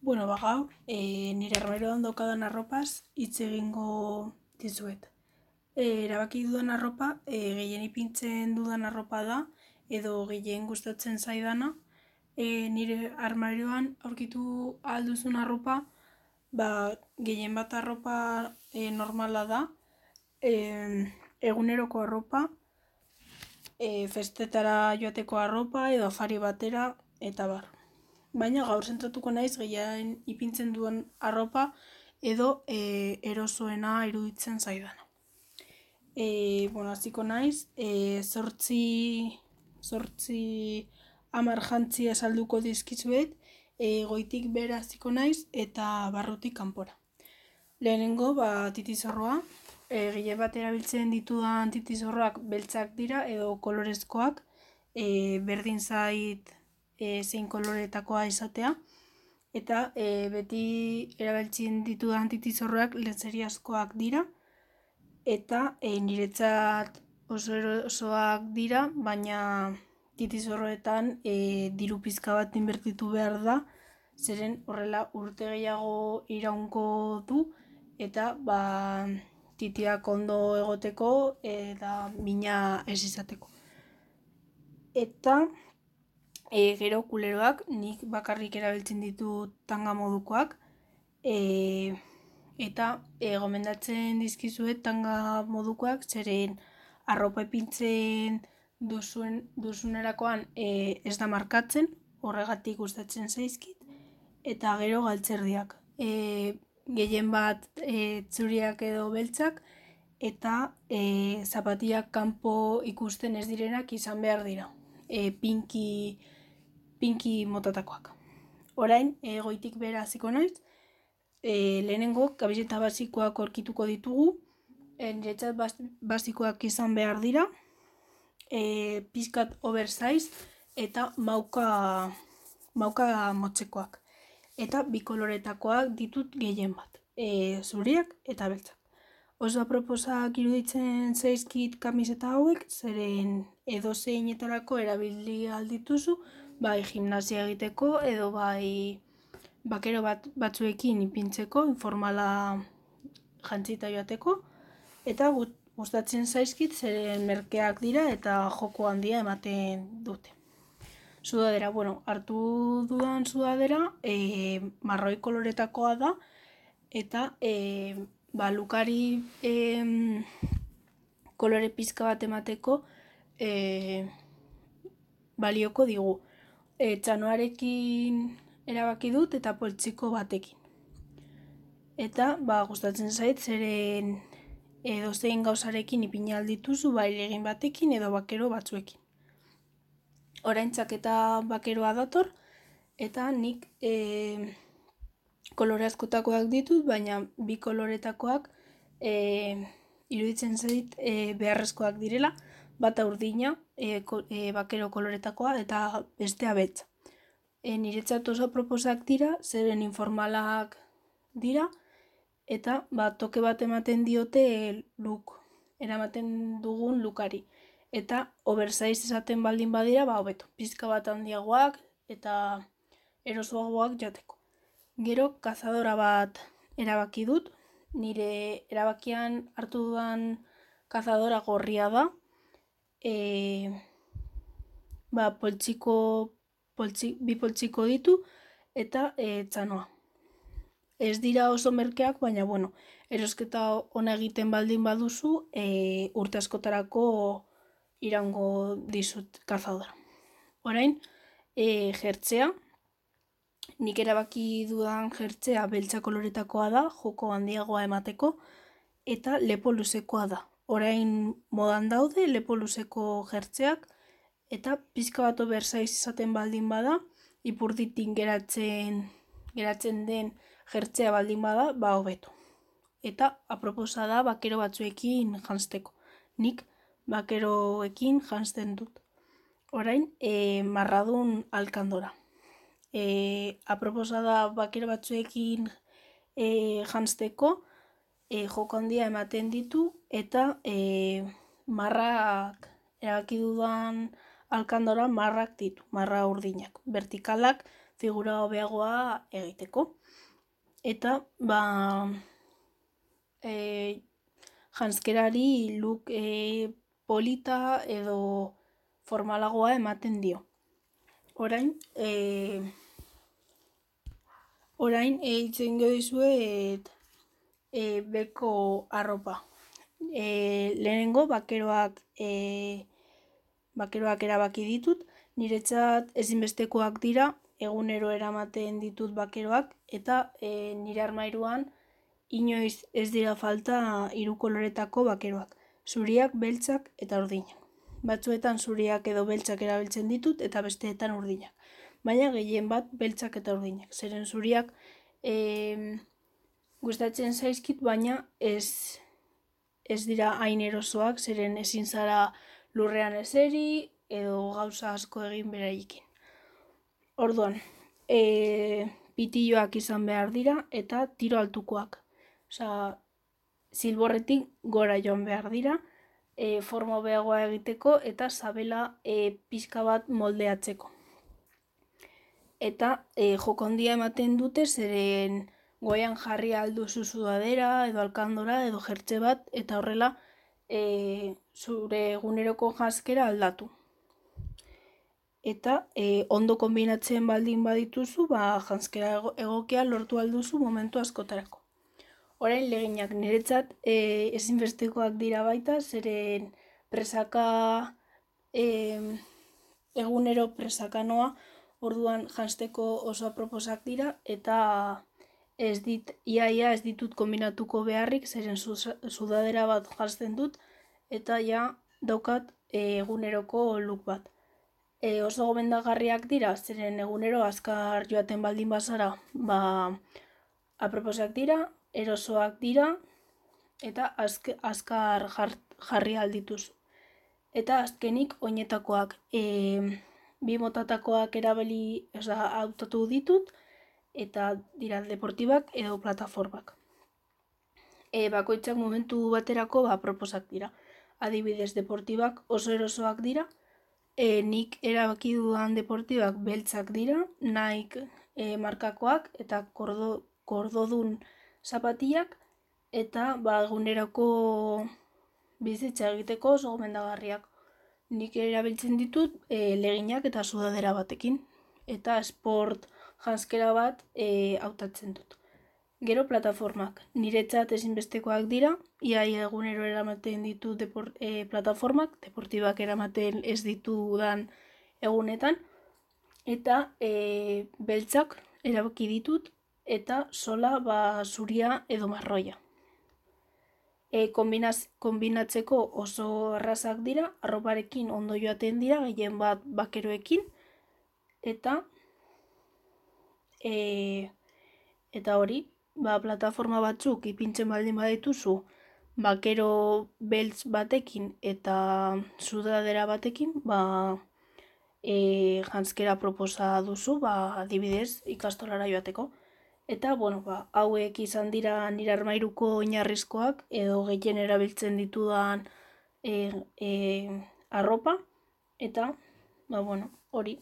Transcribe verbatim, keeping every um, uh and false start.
Bueno, ba gaur, e, nire armarioan daukadan arropaz hitz egingo dizuet. E, erabaki dudan arropa, e, gehien ipintzen dudan arropa da, edo gehien gustatzen zaidana. E, nire armarioan aurkitu ahal duzun arropa, ba, gehien bat arropa e, normala da, e, eguneroko arropa, e, festetara joateko arropa, edo afari batera, eta bar. Baina gaur zentratuko naiz gehien ipintzen duen arropa edo e, erosoena iruditzen zaidana. E, bueno, hasiko naiz, e, zortzi, zortzi amar jantzi esalduko dizkizuet, e, goitik bera hasiko naiz eta barrutik kanpora. Lehenengo, ba, titizorroa, e, gehien bat erabiltzen ditudan titizorroak beltzak dira edo kolorezkoak, e, berdin zait e, zein koloretakoa izatea, eta e, beti erabiltzen ditudan titizorroak lentzeriazkoak dira, eta e, niretzat oso erosoak dira, baina titizorroetan e, diru pizka bat inbertitu behar da, zeren horrela urte gehiago iraunko du, eta ba, titiak ondo egoteko eta mina ez izateko. Eta e, gero kuleroak, nik bakarrik erabiltzen ditut tanga modukoak, e, eta e, gomendatzen dizkizuet tanga modukoak, zeren arropa ipintzen duzuen, duzunerakoan e, ez da markatzen, horregatik gustatzen zaizkit, eta gero galtzerdiak. E, gehien bat e, txuriak edo beltzak, eta e, zapatiak kanpo ikusten ez direnak izan behar dira. E, pinki, pinki motatakoak. Orain, e, goitik bera hasiko naiz, e, lehenengo kamiseta basikoak aurkituko ditugu, e, niretzat basikoak izan behar dira, e, pizkat oversize eta mauka, mauka motzekoak. Eta bi koloretakoak ditut gehien bat, e, zuriak eta beltzak. Oso aproposak iruditzen zaizkit kamiseta hauek, zeren edozeinetarako erabili aldituzu, bai gimnasia egiteko edo bai bakero bat, batzuekin ipintzeko, informala jantzita joateko, eta gustatzen zaizkit zeren merkeak dira eta joko handia ematen dute. Sudadera, bueno, hartu dudan sudadera, e, marroi koloretakoa da, eta e, ba, lukari e, kolore pizka bat emateko e, balioko digu. E, txanoarekin erabaki dut eta poltsiko batekin. Eta ba, gustatzen zait, zeren edozein gauzarekin ipini aldituzu, bai legin batekin edo bakero batzuekin. Orain txaketa bakeroa dator, eta nik e, kolore askotakoak ditut, baina bi koloretakoak e, iruditzen zait e, beharrezkoak direla, bata urdina, e, ko, e, bakero koloretakoa, eta bestea betza. E, niretzat oso proposak dira, zeren informalak dira, eta ba, toke bat ematen diote look, eramaten dugun lukari. Eta oversize esaten baldin badira, ba, hobeto, pizka bat handiagoak eta erosoagoak jateko. Gero, kazadora bat erabaki dut, nire erabakian hartu dudan kazadora gorria da, e, ba, poltsiko, poltsik, bi poltsiko ditu, eta e, txanoa. Ez dira oso merkeak, baina, bueno, erosketa ona egiten baldin baduzu, e, urte askotarako iraungo dizut kazadora. Orain, e, jertzea, nik erabaki dudan jertzea beltza koloretakoa da, joko handiagoa emateko, eta lepo luzekoa da. Orain modan daude lepo luzeko jertzeak, eta pizka bat oversize izaten baldin bada, ipurditik geratzen, geratzen den jertzea baldin bada, ba hobeto. Eta aproposa da bakero batzuekin janzteko. Nik bakeroekin janzten dut. Orain, e, marradun alkandora. E, aproposa da bakero batzuekin e, janzteko, e, joko handia ematen ditu, eta e, marrak, erabaki dudan alkandora marrak ditu, marra urdinak. Vertikalak figura hobeagoa egiteko. Eta, ba, e, janskerari look e, polita edo formalagoa ematen dio. Orain, e, orain eitzen dizuet e, beko arropa. E, lehenengo bakeroak e, bakeroak erabaki ditut, niretzat ezinbestekoak dira, egunero eramaten ditut bakeroak, eta e, nire armairuan inoiz ez dira falta hiru koloretako bakeroak, zuriak, beltzak eta urdinak. Batzuetan zuriak edo beltzak erabiltzen ditut eta besteetan urdinak. Baina gehien bat beltzak eta urdinak. Zeren zuriak e, gustatzen zaizkit, baina ez, ez dira hain erosoak, zeren ezin zara lurrean eseri edo gauza asko egin beraiekin. Orduan, e, pitilloak izan behar dira eta tiro altukoak. Osa, zilborretik gora joan behar dira, e, forma hobeagoa egiteko eta sabela e, pixka bat moldeatzeko. Eta e, joko handia ematen dute, zeren goian jarri alduzu sudadera edo alkandora edo jertze bat, eta horrela e, zure eguneroko janskera aldatu. Eta e, ondo kombinatzen baldin badituzu, ba, janskera egokia lortu alduzu momentu askotarako. Orain leginak niretzat e, ezinbestekoak dira baita, zeren presaka e, egunero presaka noa, orduan jansteko oso aproposak dira, eta ez dit, iaia ez ditut kombinatuko beharrik, zeren sudadera bat jantzen dut, eta ja daukat e, eguneroko look bat. E, oso gomendagarriak dira, zeren egunero azkar joaten baldin bazara, ba, aproposak dira, erosoak dira, eta azk, azkar jar, jarri aldituzu. Eta azkenik oinetakoak, e, bi motatakoak erabili, oza, hautatu ditut, eta dira deportibak edo plataformak. E, bakoitzak momentu baterako ba, aproposak dira. Adibidez, deportibak oso erosoak dira, e, nik erabaki dudan deportibak beltzak dira, Nike e, markakoak eta kordo, kordodun zapatiak, eta ba, egunerako bizitza egiteko oso gomendagarriak. Nik erabiltzen ditut e, leginak eta sudadera batekin, eta sport janskera bat e, hautatzen dut. Gero plataformak, niretzat ezinbestekoak dira, iaia egunero eramaten ditu depor, e, plataformak, deportibak eramaten ez ditudan egunetan, eta e, beltzak erabaki ditut, eta sola ba, zuria edo marroia. E, kombinaz, kombinatzeko oso errazak dira, arroparekin ondo joaten dira, gehien bat bakeroekin, eta e, eta hori, ba, plataforma batzuk ipintzen baldin badituzu, bakero beltz batekin eta sudadera batekin, ba, e, janskera proposa duzu, ba, adibidez ikastolara joateko. Eta, bueno, ba, hauek izan dira nire armairuko oinarrizkoak, edo gehien erabiltzen ditudan e, e, arropa, eta, ba, bueno, hori.